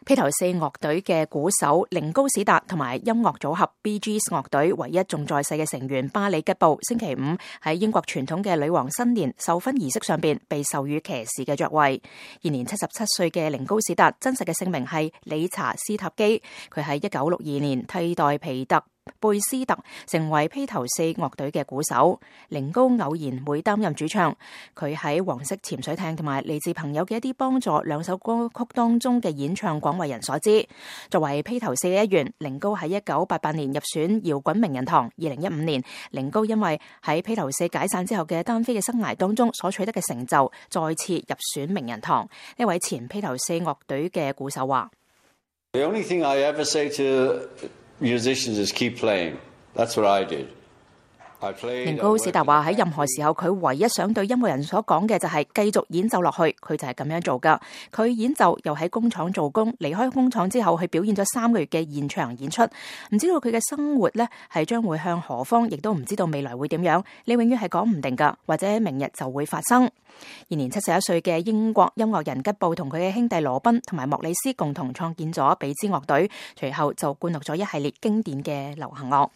披頭四樂隊嘅鼓手寧高史達同埋音樂組合 Bee Gees 樂隊唯一仲在世嘅成員巴里吉布，星期五喺英國傳統嘅女王新年授勳儀式上邊被授予騎士嘅爵位。現年77歲嘅寧高史達真實嘅姓名係理查斯塔基，佢喺1962年替代皮特貝斯特成為披頭四樂隊嘅鼓手。寧高偶然會擔任主唱，佢喺黃色潛水艇同埋嚟自朋友嘅一啲幫助兩首歌曲當中嘅演唱廣為人所知。作為披頭四嘅一員，寧高喺1988年入選搖滾名人堂。2015年，寧高因為喺披頭四解散之後嘅單飛嘅生涯當中所取得嘅成就，再次入選名人堂。呢位前披頭四樂隊嘅鼓手話：The only thing I ever say to musicians is keep playing. That's what I did. 寧高史達話喺任何時候，佢唯一想對音樂人所講嘅就係繼續演奏落去，佢就係咁樣做噶。佢演奏又喺工廠做工，離開工廠之後，去表演咗3個月嘅現場演出。唔知道佢嘅生活呢係將會向何方，亦都唔知道未來會點樣。你永遠係講唔定噶，或者明日就會發生。現年71歲嘅英國音樂人吉布同佢嘅兄弟羅賓同埋莫里斯共同創建咗比茲樂隊，隨後就灌錄咗一系列經典嘅流行樂。